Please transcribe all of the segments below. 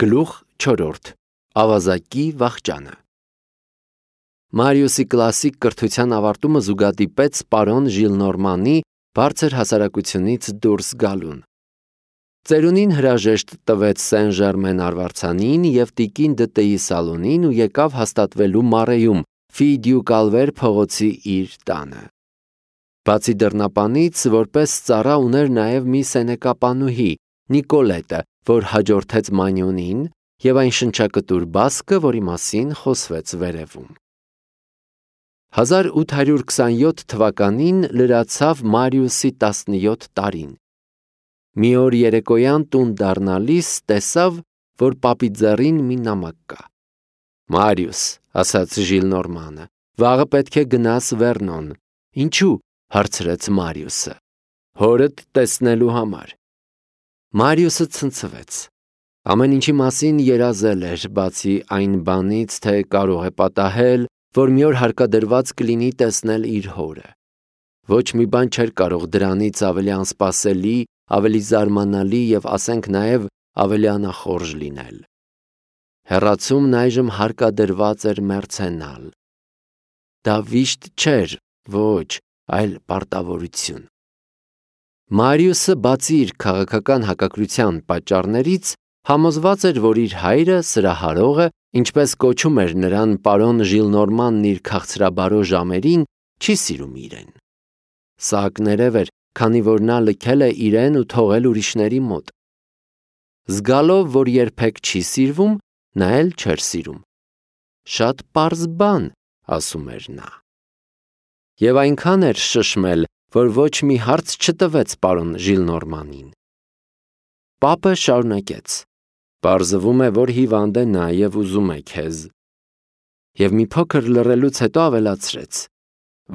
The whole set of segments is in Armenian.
Գլուխ 4. Ավազակի վախճանը Մարիուսի կլասիկ կրթության ավարտումը զուգադիպեց պարոն Ժիլնորմանի բարձր հասարակությունից դուրս գալուն։ Ծերունին հրաժեշտ տվեց Սեն Ժերմեն արվարձանին և տիկին Դտեի սալոնին ու եկավ հաստատվելու Մարեյում, Ֆի դյու Կալվեր փողոցի իր տանը։ Բացի դռնապանից, որպես ծառա ուներ նաև մի սենեկապանուհի, Նիկոլետը, որ հաջորդեց Մանյոնին, և այն շնչակտուր բասկը, որի մասին խոսվեց վերևում։ 1827 թվականին լրացավ Մարիուսի 17 տարին։ Մի օր երեկոյան տուն դառնալիս տեսավ, որ պապի ձեռին մի նամակ կա։ «Մարիուս», ասաց Ժիլնորմանը, «վաղը պետք է գնաս Վերնոն»։ «Ինչու՞» հարցրեց Մարիուսը։ «Հորդ տեսնելու համար»։ Մարիուսը ցնցվեց։ Ամեն ինչի մասին երազել էր, բացի այն բանից, թե կարող է պատահել, որ մի օր հարկադրված կլինի տեսնել իր հորը։ Ոչ մի բան չէր կարող դրանից ավելի անսպասելի, ավելի զարմանալի և ասենք նաև ավելի անախորժ լինել։ Հեռացումն այժմ հարկադրված էր մեռցենալ։ Դա վիշտ չէր, ոչ, այլ պարտավորություն։ Մարիուսը, բացի իր քաղաքական հակակրթության պատճառներից, համոզված էր, որ իր հայրը, սրահարողը, ինչպես կոչում էր նրան պարոն Ժիլնորմանն իր քաղցրաբարո ժամերին, չի սիրում իրեն։ Սա ակներև էր, քանի որ նա լքել է իրեն ու թողել ուրիշների մոտ։ Զգալով, որ երբեք չի սիրվում, նա էլ չէր սիրում։ Շատ պարզ բան, ասում էր նա։ Եվ այնքան էր շշմել, որ ոչ մի հարց չտվեց պարոն Ժիլնորմանին։ Պապը շարունակեց. «Պարզվում է, որ հիվանդ է նա և ուզում է քեզ»։ Եվ մի փոքր լռելուց հետո ավելացրեց.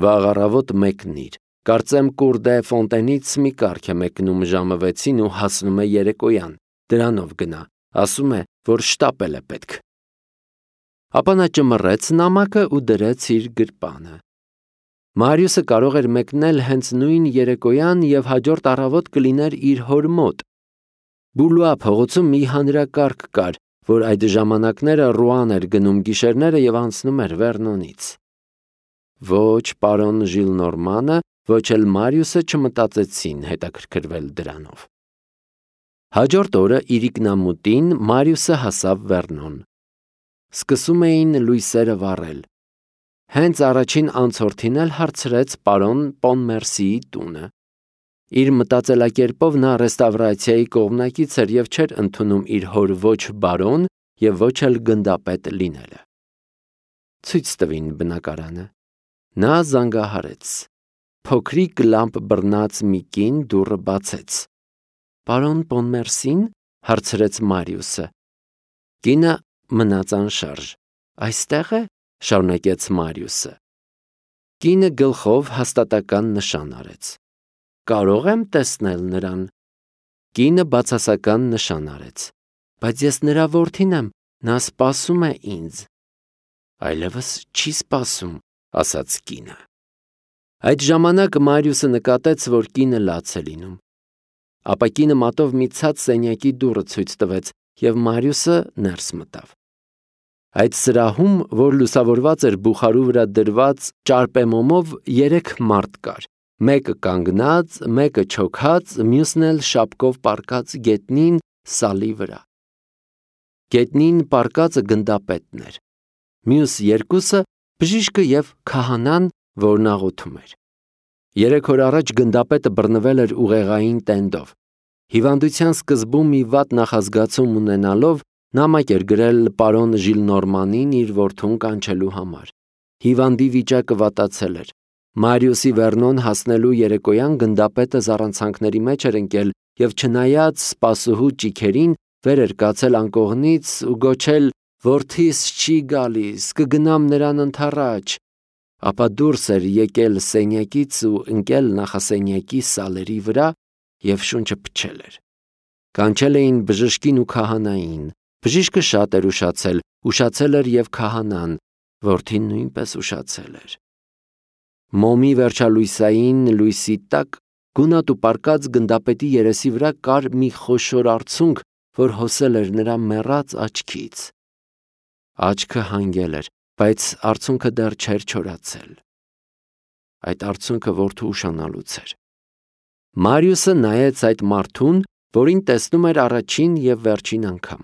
«Վաղ առավոտ մեկնիր, կարծեմ Կուր դե Ֆոնտենից մի կառք է մեկնում ժամը 6-ին ու հասնում է երեկոյան, դրանով գնա, ասում է, որ շտապել է պետք»։ Ապա նա ճմռեց նամակը ու դրեց իր գրպանը։ Մարիուսը կարող էր մեկնել հենց նույն երեկոյան և հաջորդ առավոտ կլիներ իր հոր մոտ։ Բուլուա փողոցում մի հանրակարգ կար, որ այդ ժամանակները Ռուան էր գնում գիշերները և անցնում էր Վերնոնից։ Ոչ պարոն Ժիլնորմանը, ոչ էլ Մարիուսը չմտածեցին հետաքրքրվել դրանով։ Հաջորդ օրը իրիկնամուտին Մարիուսը հասավ Վերնոն։ Սկսում էին լույսերը վառել։ Հենց առաջին անցորդին էլ հարցրեց պարոն Պոնմերսիի տունը։ Իր մտածելակերպով նա ռեստավրացիայի կողմնակից էր և չէր ընդունում իր հոր ոչ բարոն և ոչ էլ գնդապետ լինելը։ Ցույց տվին բնակարանը։ Նա զանգահարեց։ Փոքրիկ լամպ բռնած մի կին դուռը բացեց։ «Պարոն Պոնմերսին» հարցրեց Մարիուսը։ Կինը մնաց անշարժ։ «Այստեղ է», շարունակեց Մարիուսը։ Կինը գլխով հաստատական նշան արեց։ «Կարող եմ տեսնել նրան»։ Կինը բացասական նշան արեց։ «Բայց ես նրա որդին եմ, նա սպասում է ինձ»։ «Այլևս չի սպասում», ասաց կինը։ Այդ ժամանակ Մարիուսը նկատեց, որ կինը լաց է լինում։ Ապա կինը մատով մի ցած սենյակի դուռը ցույց տվեց, և Մարիուսը ներս մտավ։ Այդ սրահում, որ լուսավորված էր բուխարու վրա դրված ճարպեմոմով, 3 մարդ կար։ Մեկը կանգնած, մեկը չոքած, մյուսն էլ շապկով պառկած գետնին սալի վրա։ Գետնին պառկածը գնդապետն էր։ Մյուս երկուսը բժիշկը և քահանան, որն աղոթում էր։ 3 օր առաջ գնդապետը բռնվել էր ուղեղային տենդով։ Հիվանդության սկզբում մի վատ նախազգացում ունենալով, նամակ էր գրել պարոն Ժիլնորմանին իր որդուն կանչելու համար։ Հիվանդի վիճակը վատացել էր։ Մարիուսի Վերնոն հասնելու երեկոյան գնդապետը զառանցանքների մեջ էր ընկել և չնայած սպասուհու ճիգերին, վեր էր կացել անկողնից ու գոչել. «Որդիս չի գալիս, կգնամ նրան ընդառաջ»։ Ապա դուրս էր եկել սենյակից ու ընկել նախասենյակի սալերի վրա և շունչը փչել էր։ Կանչել էին բժշկին ու քահանային։ Բժիշկը շատ էր ուշացել, ուշացել էր և քահանան, որդին նույնպես ուշացել էր։ Մոմի վերջալույսային լույսի տակ գունատ ու պառկած գնդապետի երեսի վրա կար մի խոշոր արցունք, որ հոսել էր նրա մեռած աչքից։ Աչքը հանգել էր, բայց արցունքը դեռ չէր չորացել։ Այդ արցունքը որդու ուշանալուց էր։ Մարիուսը նայեց այդ մարդուն, որին տեսնում էր առաջին և վերջին անգամ։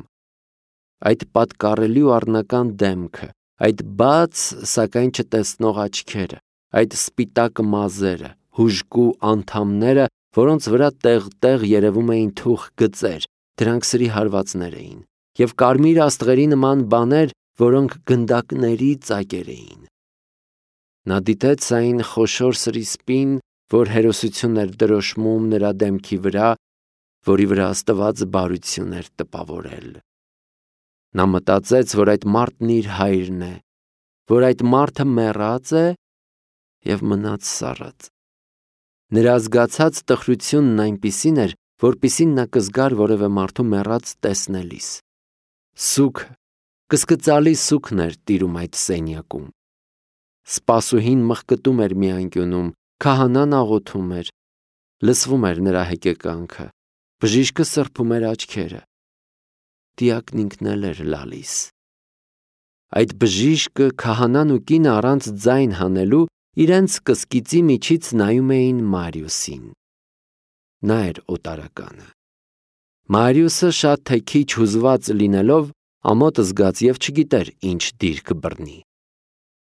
Այդ պատկառելի ու առնական դեմքը, այդ բաց, սակայն չտեսնող աչքերը, այդ սպիտակ մազերը, հուժկու անդամները, որոնց վրա տեղ-տեղ երևում էին թուխ գծեր, դրանք սրի հարվածներ էին, և կարմիր աստղերի նման բաներ, որոնք գնդակների ծակեր էին։ Նա դիտեց այն խոշոր սրիսպին, որ հերոսություն էր դրոշմում նրա դեմքի վրա, որի վրա Աստված բարություն էր տպավորել։ Նա մտածեց, որ այդ մարդն իր հայրն է, որ այդ մարդը մեռած է և մնաց սառած։ Նրա զգացած տխրությունն այնպիսին էր, որպիսին նա կզգար որևէ մարդու մեռած տեսնելիս։ Սուգ, կսկծալի սուգն էր տիրում այդ սենյակում։ Սպասուհին մխկտում էր մի անկյունում, քահանան աղոթում էր, լսվում էր նրա հեկեկանքը, բժիշկը սրբում էր աչքերը։ Դիակն ինքն էլ էր լալիս։ Այդ բժիշկը, քահանան ու կինը առանց ձայն հանելու իրենց կսկիծի միջից նայում էին Մարիուսին։ Նա էր օտարականը։ Մարիուսը շատ թե քիչ հուզված լինելով ամոթ զգաց և չգիտեր ինչ դիրք բռնի։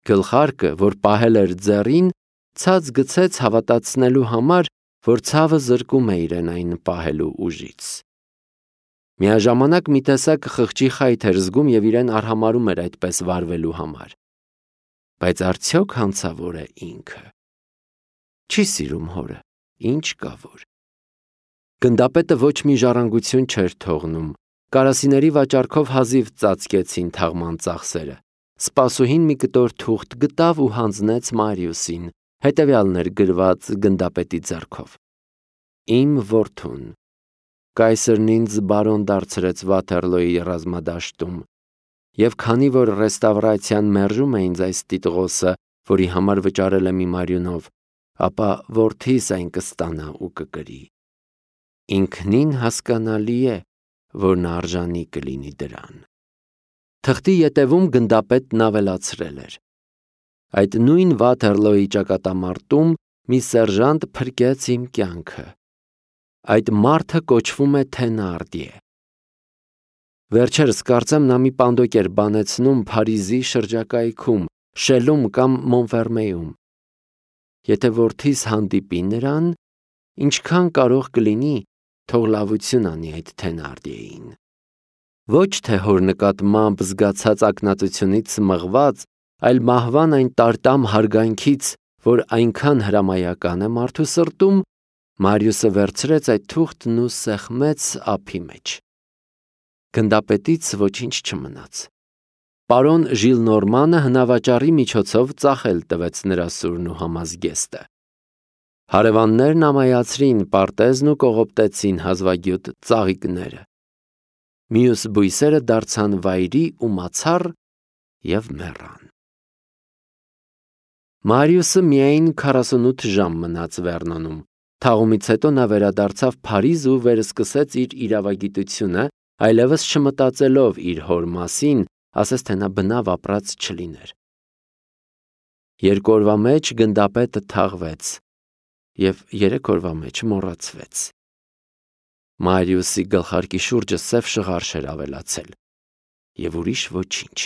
Գլխարկը, որ պահել էր ձեռին, ցած գցեց հավատացնելու համար, որ ցավը զրկում է իրեն այն պահելու ուժից։ Միաժամանակ մի տեսակ խղճի խայթ էր զգում և իրեն արհամարհում էր այդպես վարվելու համար։ Բայց արդյոք հանցավոր է ինքը։ Չի սիրում հորը, ինչ կա որ։ Գնդապետը ոչ մի ժառանգություն չէր թողնում։ Կարասիների վաճառքով հազիվ ծածկեցին թաղման ծախսերը։ Սպասուհին մի կտոր թուղթ գտավ ու հանձնեց Մարիուսին, հետևյալն էր գրված գնդապետի ձեռքով. Իմ որդուն, կայսրն ինձ բարոն դարձրեց Վաթերլոյի ռազմադաշտում, և քանի որ ռեստավրացիան մերժում է ինձ այս տիտղոսը, որի համար վճարել եմ իմ արյունով, ապա որդիս այն կստանա ու կկրի։ Ինքնին հասկանալի է, որ նա արժանի կլինի դրան։ Թղթի ետևում գնդապետն ավելացրել էր. այդ նույն Վաթերլոյի ճակատամարտում մի սերժանտ փրկեց իմ կյանքը։ Այդ մարդը կոչվում է Թենարդիե։ Վերջերս կարծեմ նա մի պանդոկ էր բանեցնում Փարիզի շրջակայքում, Շելում կամ Մոնֆերմեյում։ Եթե որդիս հանդիպի նրան, ինչքան կարող կլինի, թող լավություն անի այդ Թենարդիեին։ Ոչ թե հոր նկատմամբ զգացած ակնածությունից մղված, այլ մահվան այն տարտամ հարգանքից, որ այնքան հրամայական է մարդու սրտում, Մարիուսը վերցրեց այդ թուղթն ու սեղմեց ափի մեջ։ Գնդապետից ոչինչ չմնաց։ Պարոն Ժիլնորմանը հնավաճառի միջոցով ծախել տվեց նրա սուրն ու համազգեստը։ Հարևաններն ամայացրին պարտեզն ու կողոպտեցին հազվագյուտ ծաղիկները։ Մյուս բույսերը դարձան վայրի ու մացառ և մեռան։ Մարիուսը միայն 48 ժամ մնաց Վերնոնում։ Թաղումից հետո նա վերադարձավ Փարիզ ու վերսկսեց իր իրավագիտությունը, այլևս չմտածելով իր հոր մասին, ասես թե նա բնավ ապրած չլիներ։ 2 օրվա մեջ գնդապետը թաղվեց և 3 օրվա մեջ մոռացվեց։ Մարիուսի գլխարկի շուրջը սև շղարշ էր ավելացել և ուրիշ ոչինչ։